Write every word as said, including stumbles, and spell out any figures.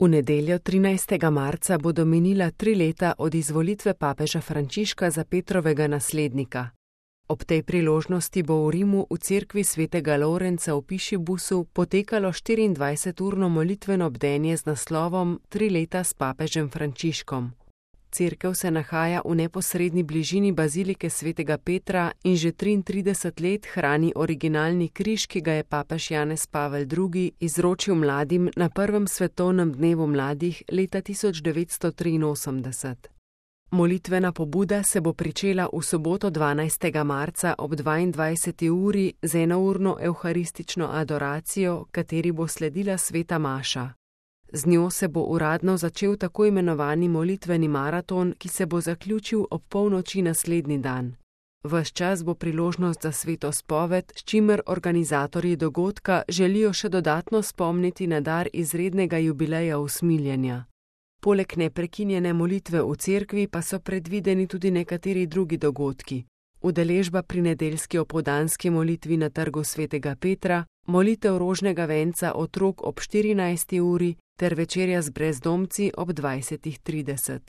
V nedeljo trinajstega marca bodo minila tri leta od izvolitve papeža Frančiška za Petrovega naslednika. Ob tej priložnosti bo v Rimu v cerkvi svetega Lorenca v Pišibusu potekalo štiriindvajseturno molitveno bdenje z naslovom Tri leta s papežem Frančiškom. Cerkev se nahaja v neposredni bližini bazilike svetega Petra in že triintrideset let hrani originalni križ, ki ga je papež Janez Pavel drugi izročil mladim na prvem svetovnem dnevu mladih leta tisoč devetsto triinosemdeset. Molitvena pobuda se bo pričela v soboto dvanajstega marca ob dvaindvajseti uri z enourno evharistično adoracijo, kateri bo sledila sveta maša. Z njo se bo uradno začel tako imenovani molitveni maraton, ki se bo zaključil ob polnoči naslednji dan. Ves čas bo priložnost za sveto spoved, s čimer organizatorji dogodka želijo še dodatno spomniti na dar izrednega jubileja usmiljenja. Poleg neprekinjene molitve v cerkvi pa so predvideni tudi nekateri drugi dogodki. Udeležba pri nedeljski opoldanski molitvi na trgu svetega Petra, molitev rožnega venca otrok ob štirinajsti uri ter večerja z brezdomci ob dvajsetih trideset.